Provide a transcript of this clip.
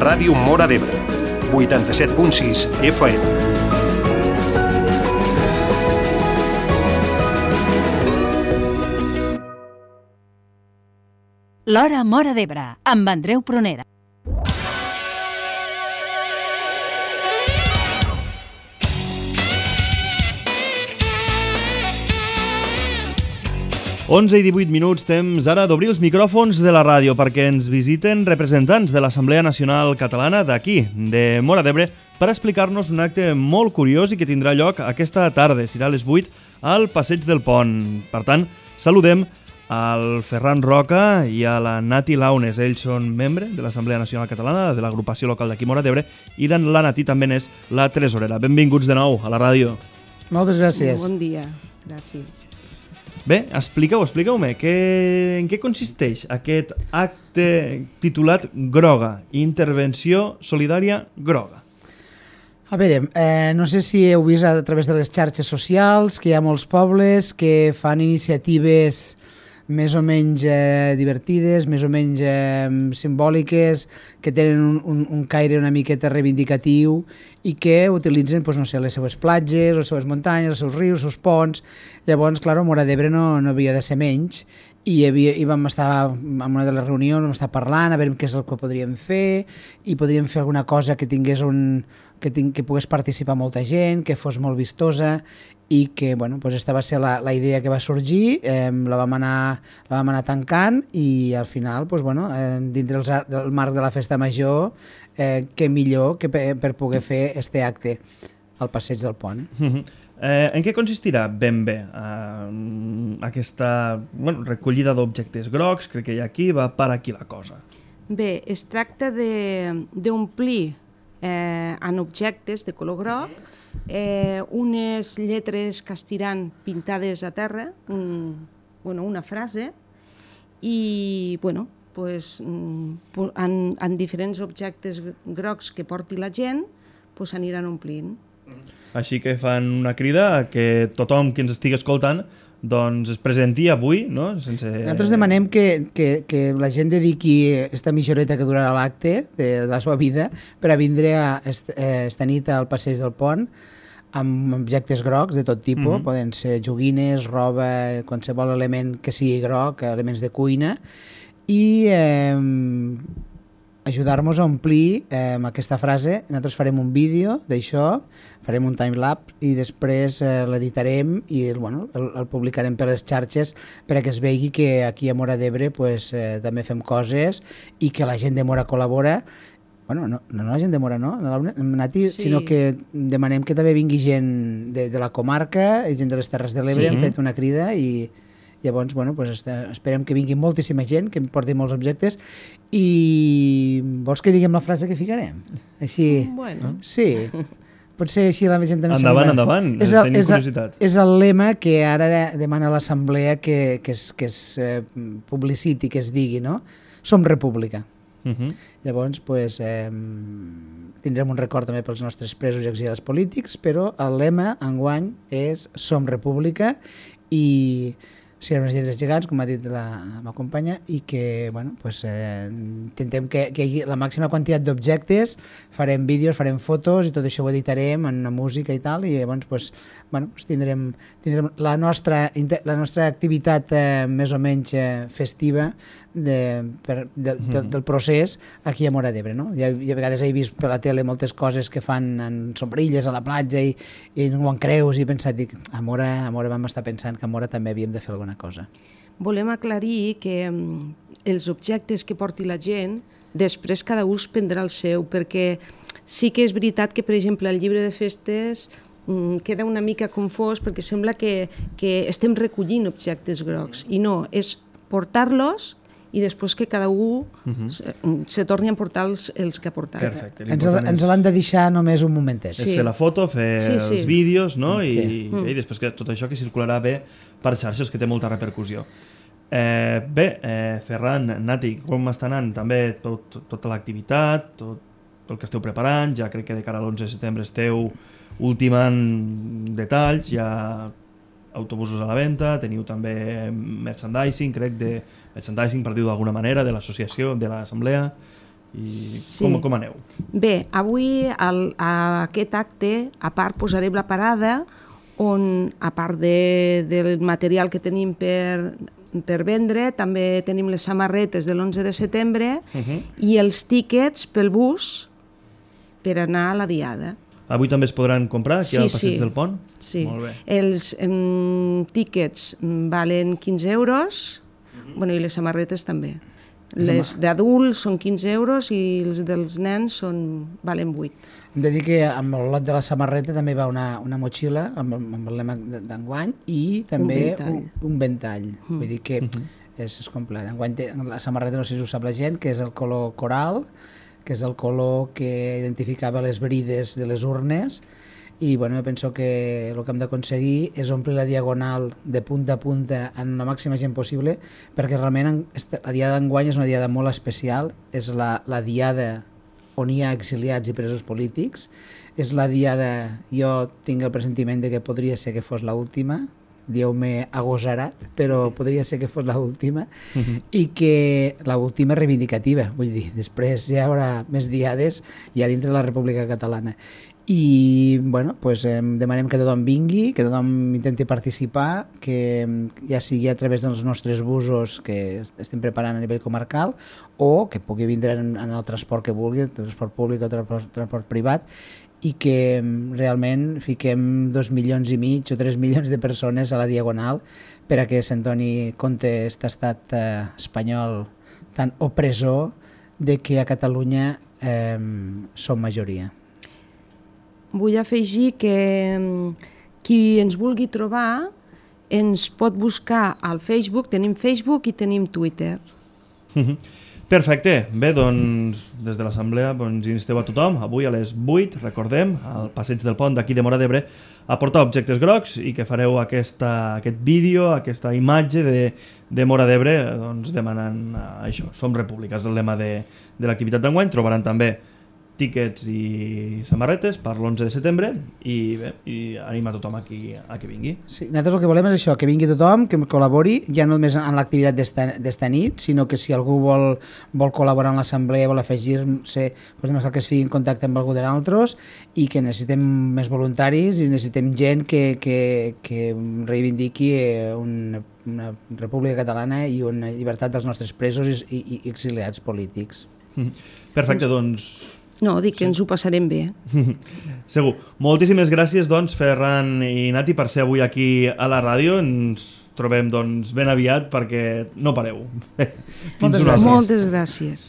Ràdio Móra d'Ebre, 87.6 FM. L'Hora Móra d'Ebre, amb Andreu Prunera. Onze i 18 minuts, temps ara d'obrir els micròfons de la ràdio perquè ens visiten representants de l'Assemblea Nacional Catalana d'aquí, de Móra d'Ebre, per explicar-nos un acte molt curiós i que tindrà lloc aquesta tarda, serà a les 8, al Passeig del Pont. Per tant, saludem al Ferran Roca i a la Nati Launes. Ells són membres de l'Assemblea Nacional Catalana, de l'agrupació local d'aquí Móra d'Ebre, i la Nati també n'és la tresorera. Benvinguts de nou a la ràdio. Moltes gràcies. Bon dia, gràcies. Bé, expliqueu-me, en què consisteix aquest acte titulat Groga, Intervenció Solidària Groga? A veure, no sé si heu vist a través de les xarxes socials que hi ha molts pobles que fan iniciatives més o menys divertides, més o menys simbòliques, que tenen un caire una miqueta reivindicatiu i que utilitzen doncs, no sé, les seues platges, les seues muntanyes, els seus rius, els seus ponts. Llavors, clar, Móra d'Ebre no havia de ser menys i vam estar en una de les reunions, vam estar parlant a veure què és el que podríem fer i podríem fer alguna cosa que tingués que pogués participar molta gent, que fos molt vistosa i que, bueno, doncs aquesta va ser la idea que va sorgir, la vam anar tancant i al final, doncs, bueno, dintre del marc de la festa major, què millor que per poder fer este acte al Passeig del Pont. En què consistirà ben bé aquesta recollida d'objectes grocs? Crec que hi ha aquí, va per aquí la cosa. Bé, es tracta d'omplir en objectes de color groc unes lletres castiran pintades a terra, una frase, i en diferents objectes grocs que porti la gent s'aniran omplint. Així que fan una crida que tothom que ens estigui escoltant doncs es presenti avui, no? Nosaltres demanem que la gent dediqui esta mitja horeta que durarà l'acte de la seva vida per a vindre esta nit al Passeig del Pont amb objectes grocs de tot tipus, poden ser joguines, roba, qualsevol element que sigui groc, elements de cuina, i ajudar-nos a omplir aquesta frase. Nosaltres farem un vídeo d'això, farem un timelapse i després l'editarem i el publicarem per les xarxes perquè es vegi que aquí a Móra d'Ebre també fem coses i que la gent de Móra col·labora. No la gent de Móra, no, Nati, sí. Sinó que demanem que també vingui gent de la comarca i gent de les Terres de l'Ebre. Hem fet una crida i llavors esperem que vingui moltíssima gent, que porti molts objectes. I vols que diguem la frase que ficarem? Així, sí, potser així la gent també... Endavant, tenim curiositat. És el lema que ara demana l'Assemblea que es publiciti, que es digui, no? Som república. Llavors, tindrem un record també pels nostres presos i exiliats polítics, però el lema enguany és Som república i serem les lletres gegants, com ha dit la meva companya, i que intentem que hi hagi la màxima quantitat d'objectes, farem vídeos, farem fotos i tot això ho editarem en música i tal, i llavors tindrem la nostra activitat més o menys festiva del procés aquí a Móra d'Ebre, no? Jo a vegades he vist per la tele moltes coses que fan en sombrilles a la platja i no ho en creus, i he pensat, a Móra vam estar pensant que a Móra també havíem de fer alguna cosa. Volem aclarir que els objectes que porti la gent, després cada ús prendrà el seu, perquè sí que és veritat que, per exemple, el llibre de festes queda una mica confós perquè sembla que estem recollint objectes grocs, i no, és portar-los i després que cada un se torni a portar els que ha portat. Perfecte. Ens l'han de deixar només un momentet. És fer la foto, fer els vídeos, no? I després que tot això que circularà bé per xarxes, que té molta repercussió. Ferran, Nati, com està anant també tota l'activitat, tot el que esteu preparant? Ja crec que de cara a l'11 de setembre esteu ultimant detalls, ja autobusos a la venda, teniu també merchandising, crec, merchandising, per dir-ho d'alguna manera, de l'associació, de l'assemblea. I Sí. com aneu? Bé, avui a aquest acte, a part posarem la parada on, a part del material que tenim per vendre, també tenim les samarretes de l'11 de setembre i els tíquets pel bus per anar a la diada. Avui també es podran comprar aquí al Passeig del Pont? Sí, Molt bé. els tíquets valen 15 euros, bueno, i les samarretes també. Les d'adults són 15 euros i els dels nens valen 8. Hem de dir que amb el lot de la samarreta també va una motxilla amb el lema d'enguany i també un ventall. Vull dir que és complet. Enguany la samarreta, no sé si ho sap la gent, que és el color coral, que és el color que identificava les brides de les urnes, i bueno, penso que el que hem d'aconseguir és omplir la diagonal de punta a punta en la màxima gent possible, perquè realment la diada d'enguany és una diada molt especial, és la diada on hi ha exiliats i presos polítics, és la diada, jo tinc el pressentiment de que podria ser que fos l'última, dieu-me agosarat, però podria ser que fos l'última, i que l'última reivindicativa, vull dir, després ja hi haurà més diades ja dintre de la República Catalana. I bueno, pues, demanem que tothom vingui, que tothom intenti participar, que ja sigui a través dels nostres busos que estem preparant a nivell comarcal, o que pugui vindre en el transport que vulgui, el transport públic o el transport privat, i que realment fiquem 2,5 milions o 3 milions de persones a la diagonal per a que se'n doni compte aquest estat espanyol tan opressor de que a Catalunya som majoria. Vull afegir que qui ens vulgui trobar ens pot buscar al Facebook, tenim Facebook i tenim Twitter. Perfecte. Bé, doncs, des de l'Assemblea ens insteu a tothom, avui a les 8, recordem, al Passeig del Pont d'aquí de Móra d'Ebre, a portar objectes grocs i que fareu aquest vídeo, aquesta imatge de Móra d'Ebre, doncs demanant això, Som República, és el lema de l'activitat d'enguany. Trobaran també tíquets i samarretes per l'11 de setembre i bé, anima tothom a que vingui. Sí, nosaltres el que volem és això, que vingui tothom, que col·labori, ja no només en l'activitat d'esta nit, sinó que si algú vol col·laborar en l'assemblea, vol afegir-se, doncs que es fiqui en contacte amb algú de nosaltres, i que necessitem més voluntaris i necessitem gent que reivindiqui una república catalana i una llibertat dels nostres presos i exiliats polítics. Perfecte, doncs... No, dic que ens ho passarem bé. Segur. Moltíssimes gràcies, doncs, Ferran i Nati, per ser avui aquí a la ràdio. Ens trobem, doncs, ben aviat perquè no pareu. Moltes gràcies. Moltes gràcies.